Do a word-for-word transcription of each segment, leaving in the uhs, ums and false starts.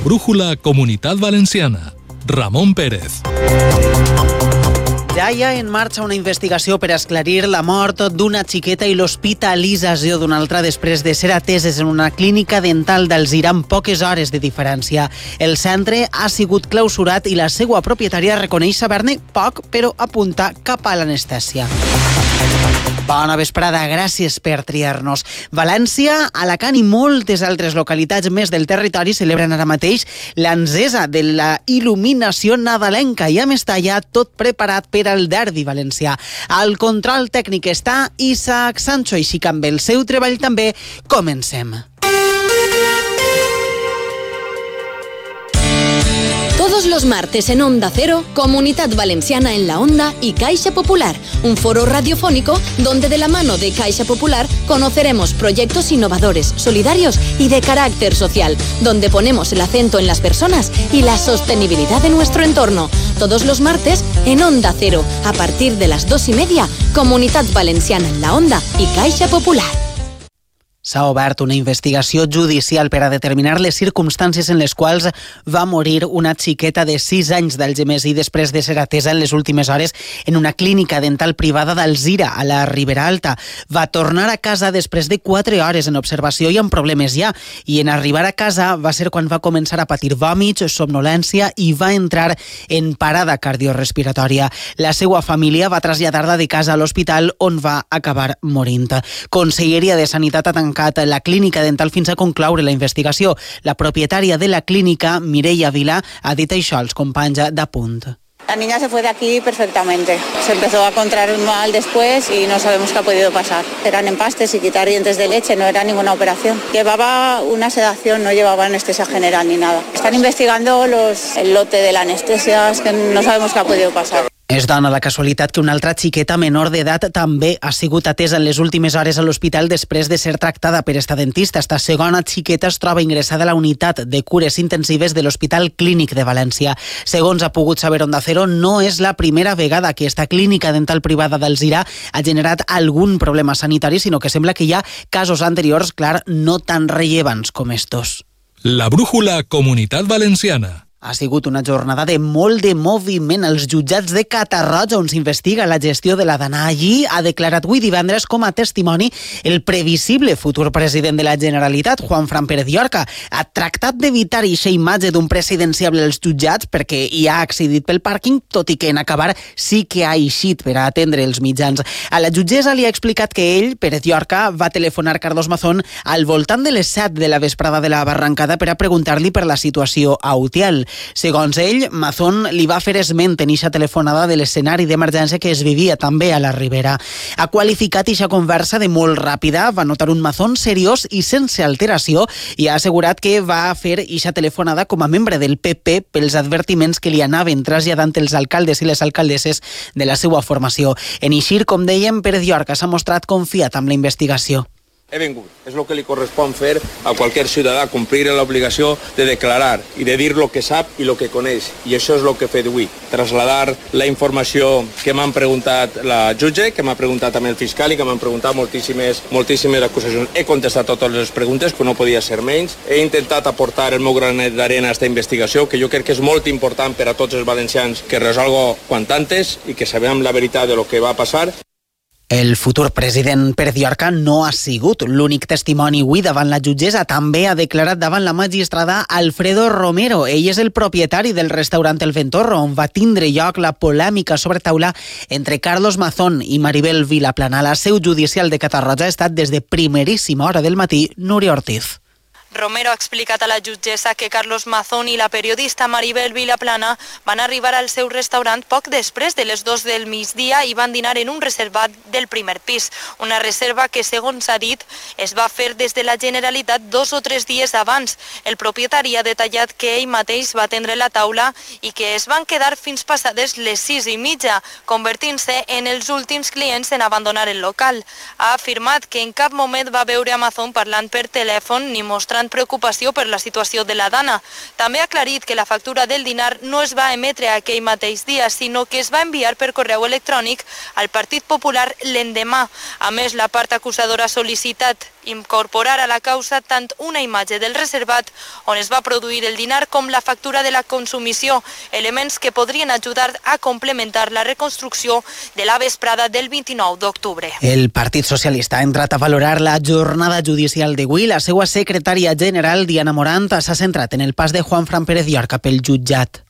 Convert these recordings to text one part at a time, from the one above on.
brújula Comunitat Valenciana. Ramon Pérez. Ja hi ha en marxa una investigació per esclarir la mort d'una xiqueta i l'hospitalització d'una altra després de ser ateses en una clínica dental d'Alzira amb poques hores de diferència. El centre ha sigut clausurat i la seva propietària reconeix saber-ne poc, però apunta cap a l'anestèsia. Bona vesprada, gràcies per triar-nos. València, Alacant i moltes altres localitats més del territori celebren ara mateix l'encesa de la il·luminació nadalenca i a Mestalla tot preparat per al derbi valencià. Al control tècnic està Isaac Sancho, així que amb el seu treball també comencem. Todos los martes en Onda Cero, Comunidad Valenciana en la Onda y Caixa Popular, un foro radiofónico donde de la mano de Caixa Popular conoceremos proyectos innovadores, solidarios y de carácter social, donde ponemos el acento en las personas y la sostenibilidad de nuestro entorno. Todos los martes en Onda Cero, a partir de las dos y media, Comunidad Valenciana en la Onda y Caixa Popular. S'ha obert una investigació judicial per a determinar les circumstàncies en les quals va morir una xiqueta de sis anys d'Algemesí després de ser atesa en les últimes hores en una clínica dental privada d'Alzira, a la Ribera Alta. Va tornar a casa després de quatre hores en observació i amb problemes ja, i en arribar a casa va ser quan va començar a patir vòmits, somnolència i va entrar en parada cardiorespiratòria. La seva família va traslladar-la de casa a l'hospital on va acabar morint. Conselleria de Sanitat ha tancat la clínica dental fins a concloure la investigació. La propietària de la clínica, Mireia Vila, ha dit això als companys d'Apunt. La niña se fue de aquí perfectamente. Se empezó a encontrar mal después y no sabemos qué ha podido pasar. Eran empastes y quitar dientes de leche, no era ninguna operación. Llevaba una sedación, no llevaba anestesia general ni nada. Están investigando los, el lote de la anestesia, es que no sabemos qué ha podido pasar. Es dona la casualitat que una altra xiqueta menor d'edat també ha sigut atesa en les últimes hores a l'hospital després de ser tractada per esta dentista. Esta segona xiqueta es troba ingressada a la unitat de cures intensives de l'Hospital Clínic de València. Segons ha pogut saber Onda Cero, no és la primera vegada que esta clínica dental privada d'Alzira ha generat algun problema sanitari, sinó que sembla que hi ha casos anteriors, clar, no tan rellevants com estos. La brújula Comunitat Valenciana. Ha sigut una jornada de molt de moviment als jutjats de Catarroja, on s'investiga la gestió de la Dana. Allí ha declarat avui divendres com a testimoni el previsible futur president de la Generalitat, Juanfran Pérez Llorca. Ha tractat d'evitar eixa imatge d'un presidenciable als jutjats perquè hi ha accedit pel pàrquing, tot i que en acabar sí que ha eixit per a atendre els mitjans. A la jutgessa li ha explicat que ell, Pérez Llorca, va telefonar Carlos Mazón al voltant de les set de la vesprada de la Barrancada per a preguntar-li per la situació a Utiel. Segons ell, Mazón li va fer esment en eixa telefonada de l'escenari d'emergència que es vivia també a la Ribera. Ha qualificat eixa conversa de molt ràpida, va notar un Mazón seriós i sense alteració i ha assegurat que va fer eixa telefonada com a membre del P P pels advertiments que li anaven traslladant els alcaldes i les alcaldesses de la seva formació. En eixir, com dèiem, Pérez Llorca s'ha mostrat confiat amb la investigació. He vengut. És el que li correspon fer a qualsevol ciutadà, complir l'obligació de declarar i de dir el que sap i el que coneix. I això és el que he fet avui. Trasladar la informació que m'han preguntat la jutge, que m'ha preguntat també el fiscal i que m'han preguntat moltíssimes, moltíssimes acusacions. He contestat totes les preguntes, que no podia ser menys. He intentat aportar el meu granet d'arena a aquesta investigació, que jo crec que és molt important per a tots els valencians que resolgo quant antes i que sabem la veritat de lo que va passar. El futur president Pérez Llorca no ha sigut l'únic testimoni avui davant la jutgessa. També ha declarat davant la magistrada Alfredo Romero. Ell és el propietari del restaurant El Ventorro, on va tindre lloc la polèmica sobre taula entre Carlos Mazón i Maribel Vilaplana. La seu judicial de Catarroja ha estat des de primeríssima hora del matí Núria Ortiz. Romero ha explicat a la jutgessa que Carlos Mazón i la periodista Maribel Vilaplana van arribar al seu restaurant poc després de les dos del migdia i van dinar en un reservat del primer pis. Una reserva que, segons ha dit, es va fer des de la Generalitat dos o tres dies abans. El propietari ha detallat que ell mateix va atendre la taula i que es van quedar fins passades les sis i mitja, convertint-se en els últims clients en abandonar el local. Ha afirmat que en cap moment va veure a Mazón parlant per telèfon ni mostrant preocupació per la situació de la Dana. També ha aclarit que la factura del dinar no es va emetre aquell mateix dia, sinó que es va enviar per correu electrònic al Partit Popular l'endemà. A més, la part acusadora ha sol·licitat incorporar a la causa tant una imatge del reservat on es va produir el dinar com la factura de la consumició, elements que podrien ajudar a complementar la reconstrucció de la vesprada del vint-i-nou d'octubre. El Partit Socialista ha entrat a valorar la jornada judicial d'avui. La seva secretària general, Diana Morant, s'ha centrat en el pas de Juanfran Pérez Llorca pel jutjat.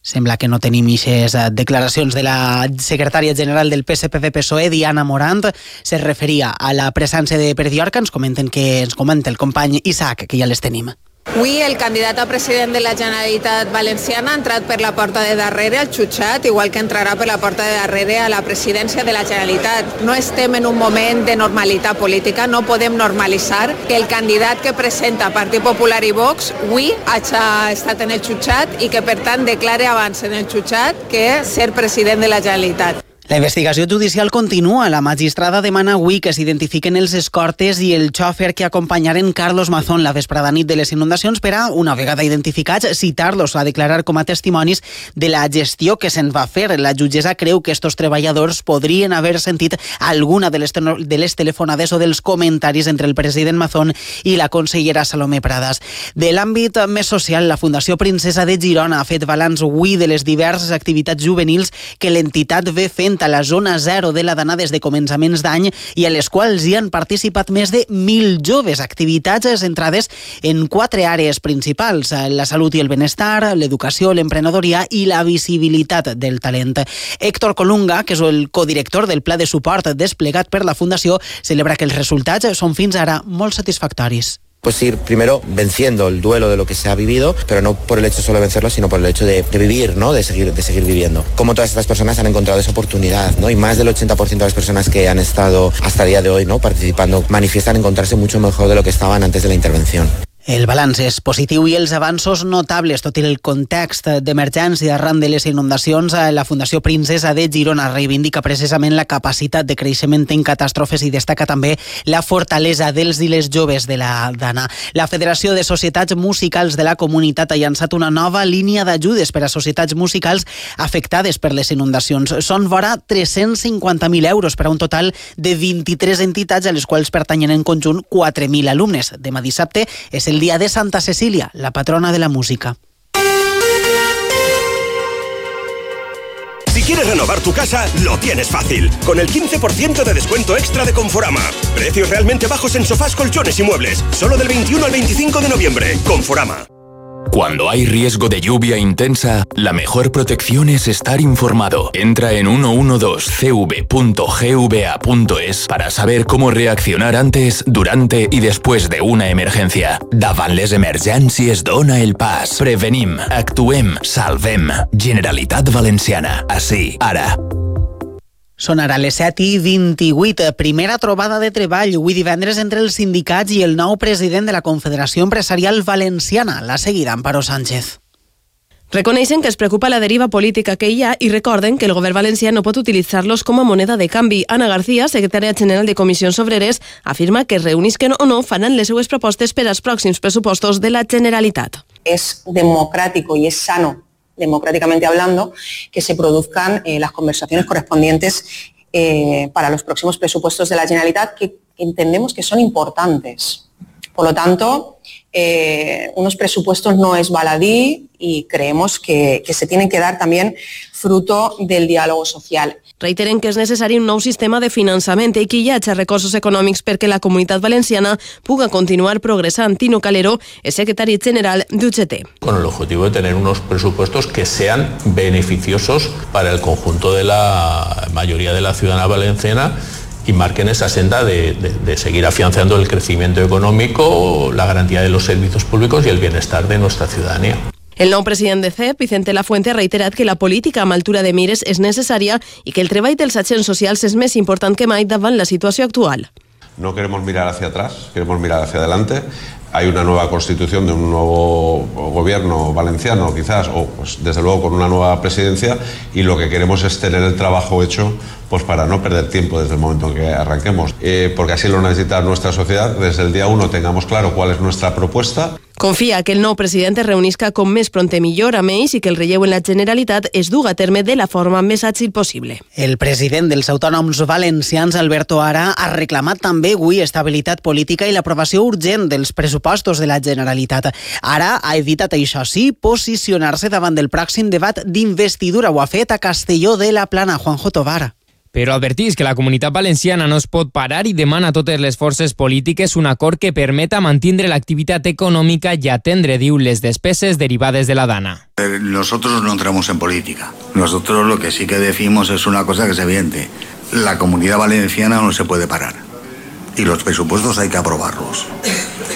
Sembla que no tenim ixes declaracions de la secretària general del P S P V P S O E, Diana Morant. Se referia a la presència de Pérez Llorca. Ens comenten que ens comenta el company Isaac, que ja les tenim. Avui el candidat a president de la Generalitat Valenciana ha entrat per la porta de darrere al jutjat, igual que entrarà per la porta de darrere a la presidència de la Generalitat. No estem en un moment de normalitat política, no podem normalitzar que el candidat que presenta Partit Popular i Vox avui hagi estat en el jutjat i que per tant declare abans en el jutjat que ser president de la Generalitat. La investigació judicial continua. La magistrada demana avui que s'identifiquen els escortes i el xòfer que acompanyaren Carlos Mazón la vesprada nit de les inundacions per a, una vegada identificats, citar-los a declarar com a testimonis de la gestió que se'n va fer. La jutgessa creu que estos treballadors podrien haver sentit alguna de les, de les telefonades o dels comentaris entre el president Mazón i la consellera Salomé Pradas. De l'àmbit més social, la Fundació Princesa de Girona ha fet balanç avui de les diverses activitats juvenils que l'entitat ve fent a la zona zero de la Dana des de començaments d'any i a les quals hi han participat més de mil joves. Activitats centrades en quatre àrees principals: la salut i el benestar, l'educació, l'emprenedoria i la visibilitat del talent. Héctor Colunga, que és el codirector del pla de suport desplegat per la Fundació, celebra que els resultats són fins ara molt satisfactoris. Pues ir primero venciendo el duelo de lo que se ha vivido, pero no por el hecho solo de vencerlo, sino por el hecho de, de vivir, ¿no? De seguir, de seguir viviendo. Como todas estas personas han encontrado esa oportunidad, ¿no? Y más del ochenta por ciento de las personas que han estado hasta el día de hoy, ¿no?, participando, manifiestan encontrarse mucho mejor de lo que estaban antes de la intervención. El balanç és positiu i els avanços notables. Tot i el context d'emergència arran de les inundacions, la Fundació Princesa de Girona reivindica precisament la capacitat de creixement en catàstrofes i destaca també la fortalesa dels i les joves de la Dana. La Federació de Societats Musicals de la Comunitat ha llançat una nova línia d'ajudes per a societats musicals afectades per les inundacions. Són vora tres-cents cinquanta mil euros per a un total de vint-i-tres entitats a les quals pertanyen en conjunt quatre mil alumnes. Demà dissabte és el dia de Santa Cecília, la patrona de la música. Si quieres renovar tu casa, lo tienes fácil. Con el quince por ciento de descuento extra de Conforama. Precios realmente bajos en sofás, colchones y muebles. Solo del veintiuno al veinticinco de noviembre. Conforama. Cuando hay riesgo de lluvia intensa, la mejor protección es estar informado. Entra en ciento doce c v punto g v a punto es para saber cómo reaccionar antes, durante y después de una emergencia. Davant les emergències dona el pas. Prevenim, actuem, salvem. Generalitat Valenciana. Així, ara. Són ara les set i vint-i-vuit. Primera trobada de treball avui divendres entre els sindicats i el nou president de la Confederació Empresarial Valenciana. La seguida, Amparo Sánchez. Reconeixen que es preocupa la deriva política que hi ha i recorden que el govern valencià no pot utilitzar-los com a moneda de canvi. Ana García, secretària general de Comissions Obreres, afirma que reunisquen o no faran les seues propostes per als pròxims pressupostos de la Generalitat. És democràtico i és sano, democráticamente hablando, que se produzcan eh, las conversaciones correspondientes eh, para los próximos presupuestos de la Generalitat, que entendemos que son importantes. Por lo tanto, eh, unos presupuestos no es baladí y creemos que, que se tienen que dar también fruto del diálogo social. Reiteren que és necessari un nou sistema de finançament i que hi hagi recursos econòmics perquè la Comunitat Valenciana puga continuar progressant. Tino Calero és secretari general d'U G T. Con el objetivo de tener unos presupuestos que sean beneficiosos para el conjunto de la mayoría de la ciudadanía valenciana y marquen esa senda de, de, de seguir afianzando el crecimiento económico, la garantía de los servicios públicos y el bienestar de nuestra ciudadanía. El nou president de C E P, Vicente Lafuente, ha reiterat que la política amb altura de mires és necessària i que el treball dels agents socials és més important que mai davant la situació actual. No queremos mirar hacia atrás, queremos mirar hacia adelante. hay una nueva constitución de un nuevo gobierno valenciano, quizás, o pues, desde luego con una nueva presidencia, y lo que queremos es tener el trabajo hecho pues para no perder tiempo desde el momento en que arranquemos, eh, porque así lo necesita nuestra sociedad. Desde el día uno tengamos claro cuál es nuestra propuesta. Confia que el nou president es reunisca com més prompte millor, a més, i que el relleu en la Generalitat es duga a terme de la forma més àgil possible. El president dels autònoms valencians, Alberto Ara, ha reclamat també avui estabilitat política i l'aprovació urgent dels pressupostos de la Generalitat. Ara ha evitat, això sí, posicionar-se davant del pròxim debat d'investidura. Ho ha fet a Castelló de la Plana. Juanjo Tovar. Però advertís que la Comunitat Valenciana no es pot parar i demana a totes les forces polítiques un acord que permeta mantindre l'activitat econòmica i atendre, diu, les despeses derivades de la Dana. Nosotros no entramos en política. Nosotros lo que sí que decimos es una cosa que es evidente. La Comunidad Valenciana no se puede parar. Y los presupuestos hay que aprobarlos.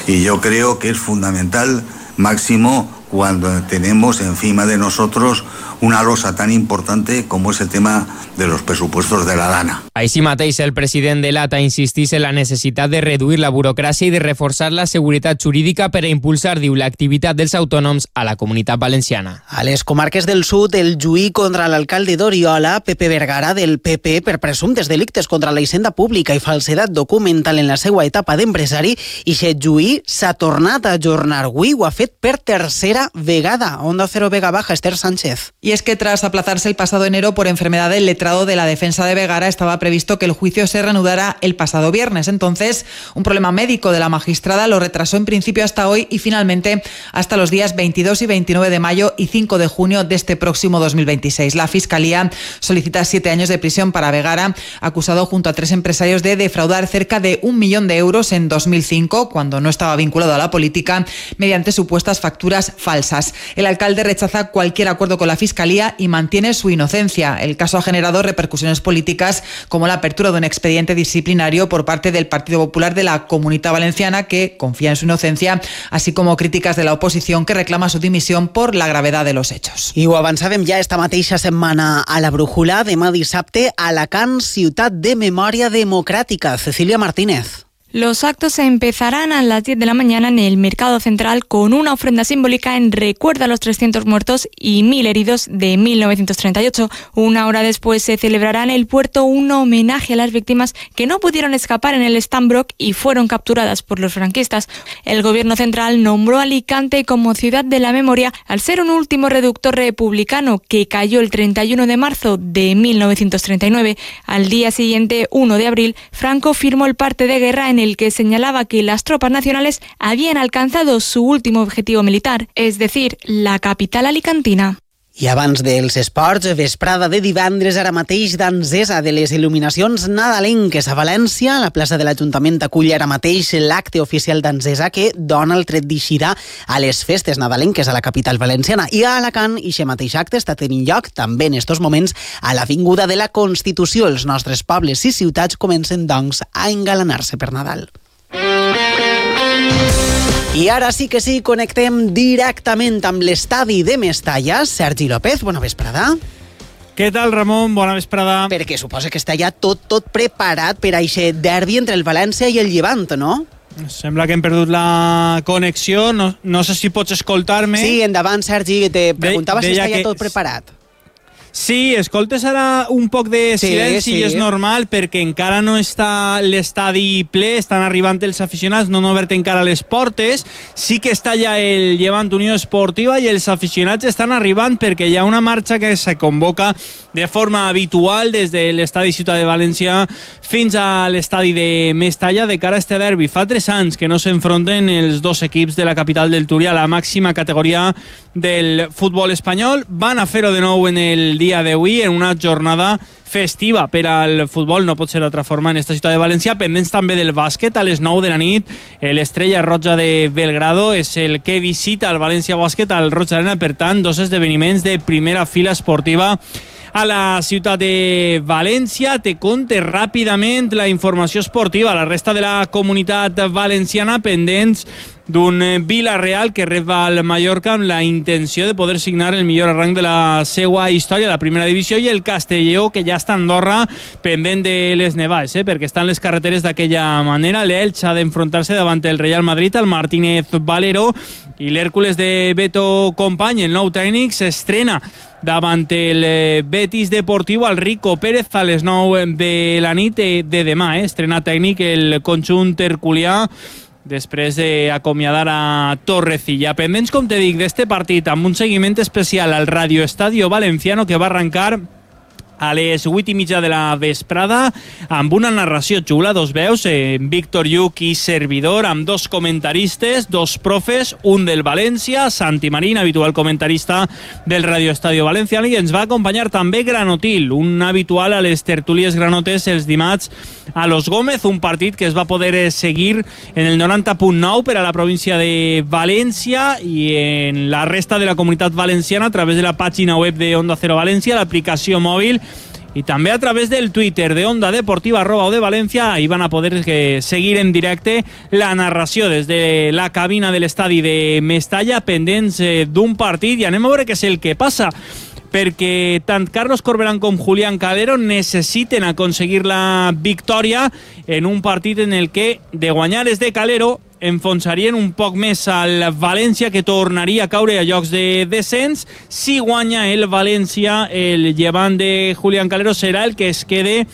Y yo creo que es fundamental, máximo, cuando tenemos encima de nosotros una losa tan importante como es el tema de los presupuestos de la Dana. Així mateix, el president de l'A T A insistís en la necessitat de reduir la burocràcia i de reforçar la seguretat jurídica per a impulsar, diu, l'activitat dels autònoms a la Comunitat Valenciana. A les comarques del sud, el juí contra l'alcalde d'Oriola, Pepe Vergara, del P P, per presumptes delictes contra la hisenda pública i falsedat documental en la seva etapa d'empresari, i aquest juí s'ha tornat a ajornar avui, ho ha fet per tercera vegada. Onda Cero Vega Baja, Esther Sánchez. Y es que tras aplazarse el pasado enero por enfermedad del letrado de la defensa de Vergara, estaba previsto que el juicio se reanudara el pasado viernes. Entonces, un problema médico de la magistrada lo retrasó en principio hasta hoy y finalmente hasta los días veintidós y veintinueve de mayo y cinco de junio de este próximo dos mil veintiséis. La Fiscalía solicita siete años de prisión para Vergara, acusado junto a tres empresarios de defraudar cerca de un millón de euros en dos mil cinco, cuando no estaba vinculado a la política, mediante supuestas facturas falsas. El alcalde rechaza cualquier acuerdo con la Fiscalía y mantiene su inocencia. El caso ha generado repercusiones políticas como la apertura de un expediente disciplinario por parte del Partido Popular de la Comunitat Valenciana, que confía en su inocencia, así como críticas de la oposición que reclama su dimisión por la gravedad de los hechos. I ho avançàvem ja esta mateixa setmana a la Brújula. Demà dissabte, Alacant, ciutat de memòria democràtica. Cecilia Martínez. Los actos se empezarán a las diez de la mañana en el Mercado Central con una ofrenda simbólica en recuerdo a los trescientos muertos y mil heridos de mil novecientos treinta y ocho. Una hora después se celebrará en el puerto un homenaje a las víctimas que no pudieron escapar en el Stambrook y fueron capturadas por los franquistas. El gobierno central nombró a Alicante como ciudad de la memoria al ser un último reducto republicano que cayó el treinta y uno de marzo de mil novecientos treinta y nueve. Al día siguiente, uno de abril, Franco firmó el parte de guerra en el el que señalaba que las tropas nacionales habían alcanzado su último objetivo militar, es decir, la capital alicantina. I abans dels esports, vesprada de divendres, ara mateix d'encesa de les il·luminacions nadalenques a València. La plaça de l'Ajuntament acull ara mateix l'acte oficial d'encesa que dona el tret d'eixida a les festes nadalenques a la capital valenciana. I a Alacant, aquest mateix acte està tenint lloc també en estos moments a l'Avinguda de la Constitució. Els nostres pobles i ciutats comencen, doncs, a engalanar-se per Nadal. I ara sí que sí, connectem directament amb l'estadi de Mestalla. Sergi López, bona vesprada. Què tal, Ramon? Bona vesprada. Perquè suposa que està ja tot, tot preparat per a aquest derbi entre el València i el Llevant, no? Sembla que hem perdut la connexió. No, no sé si pots escoltar-me. Sí, endavant, Sergi. Te preguntava de, si està ja que... tot preparat. Sí, escoltes ara un poc de silenci sí, sí. I és normal perquè encara no està l'estadi ple, estan arribant els aficionats, no han obert encara les portes. Sí que està ja el Llevant Unió Esportiva i els aficionats estan arribant perquè hi ha una marxa que se convoca de forma habitual des de l'estadi Ciutat de València fins a l'estadi de Mestalla de cara a este derbi. Fa tres anys que no s'enfronten els dos equips de la capital del Túria a la màxima categoria del futbol espanyol. Van a fer-ho de nou en el dia d'avui, en una jornada festiva per al futbol, no pot ser d'altra forma en esta ciutat de València. Pendents també del bàsquet, a les nou de la nit l'Estrella Roja de Belgrado és el que visita el València Bàsquet al Roig Arena. Per tant, dos esdeveniments de primera fila esportiva a la ciutat de València. Te conte ràpidament la informació esportiva. La resta de la comunitat valenciana pendents d'un Villarreal que rep al Mallorca amb la intenció de poder signar el millor arranc de la seva història a la primera divisió, i el Castelló, que ja està a Andorra pendent de les nevades, eh, perquè estan les carreteres d'aquella manera. L'Elx ha d'enfrontar-se davant el Real Madrid, el Martínez Valero, i l'Hèrcules de Beto Company, el nou tècnic, s'estrena davant el Betis Deportiu al Rico Pérez a les nou de la nit de demà. Eh? Estrena tècnic el conjunt herculià després d'acomiadar a Torrecilla. Pendents, com te dic, d'este partit amb un seguiment especial al Radio Estadio Valenciano, que va arrencar a les vuit i mitja de la vesprada amb una narració xula, dos veus, eh, Víctor Lluc i servidor, amb dos comentaristes, dos profes, un del València, Santi Marín, habitual comentarista del Radio Estadio Valenciano, i ens va acompanyar també Granotil, un habitual a les tertúlies granotes els dimarts a Los Gómez, un partit que es va poder seguir en el noranta punt nou per a la província de València i en la resta de la comunitat valenciana a través de la pàgina web de Onda Cero València, l'aplicació mòbil, i també a través del Twitter de Onda Deportiva arroba O de València. Ahí van a poder eh, seguir en directe la narració des de la cabina de l'estadi de Mestalla, pendents eh, d'un partit, i anem a veure què és el que passa, perquè tant Carlos Corberán com Julián Calero necessiten aconseguir la victòria en un partit en el que, de guanyar és de Calero, enfonsarien un poc més al València, que tornaria a caure a llocs de descens. Si guanya el València, el llevant de Julián Calero serà el que es quede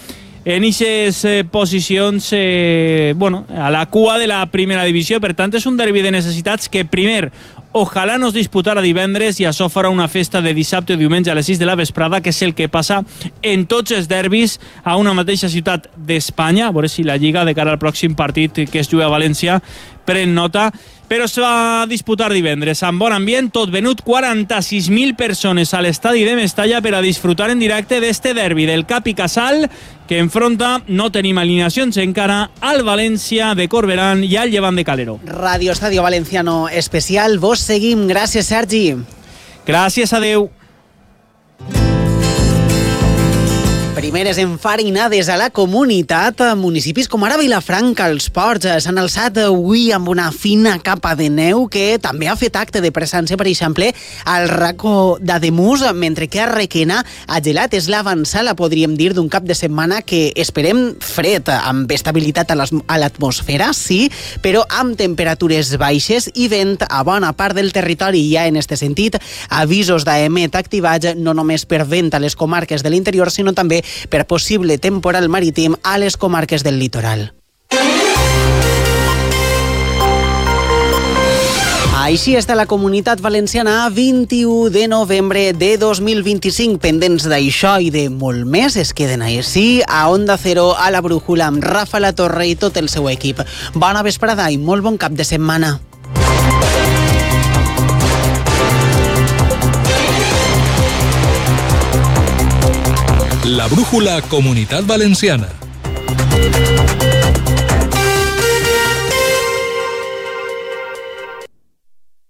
en aquestes eh, posicions eh, bueno, a la cua de la primera divisió. Per tant, és un derbi de necessitats que primer ojalà no es disputara divendres, i això farà una festa de dissabte o diumenge a les sis de la vesprada, que és el que passa en tots els derbis a una mateixa ciutat d'Espanya. A veure si la Lliga, de cara al pròxim partit que es juga a València, pren nota. Però es va disputar divendres amb bon ambient, tot venut, quaranta-sis mil persones a l'estadi de Mestalla per a disfrutar en directe d'este derbi del Cap i Casal, que enfronta, no tenim alineacions encara, al València de Corberán i al Llevant de Calero. Radio Estadio Valenciano especial, vos seguim. Gràcies, Sergi. Gràcies, adeu. Primeres enfarinades a la comunitat. Municipis com ara Vilafranca, els Ports, s'han alçat avui amb una fina capa de neu que també ha fet acte de presència, per exemple, al racó d'Ademús, mentre que a Requena ha gelat. És l'avançada, podríem dir, d'un cap de setmana que esperem fred, amb estabilitat a l'atmosfera, sí, però amb temperatures baixes i vent a bona part del territori. Hi ha, en este sentit, avisos d'A E M E T activats no només per vent a les comarques de l'interior, sinó també per possible temporal marítim a les comarques del litoral. Així està la comunitat valenciana a vint-i-u de novembre de dos mil vint-i-cinc. Pendents d'això i de molt més, es queden així a Onda Cero, a la Brújula, amb Rafa La Torre i tot el seu equip. Bona vesprada i molt bon cap de setmana. La Brújula Comunitat Valenciana.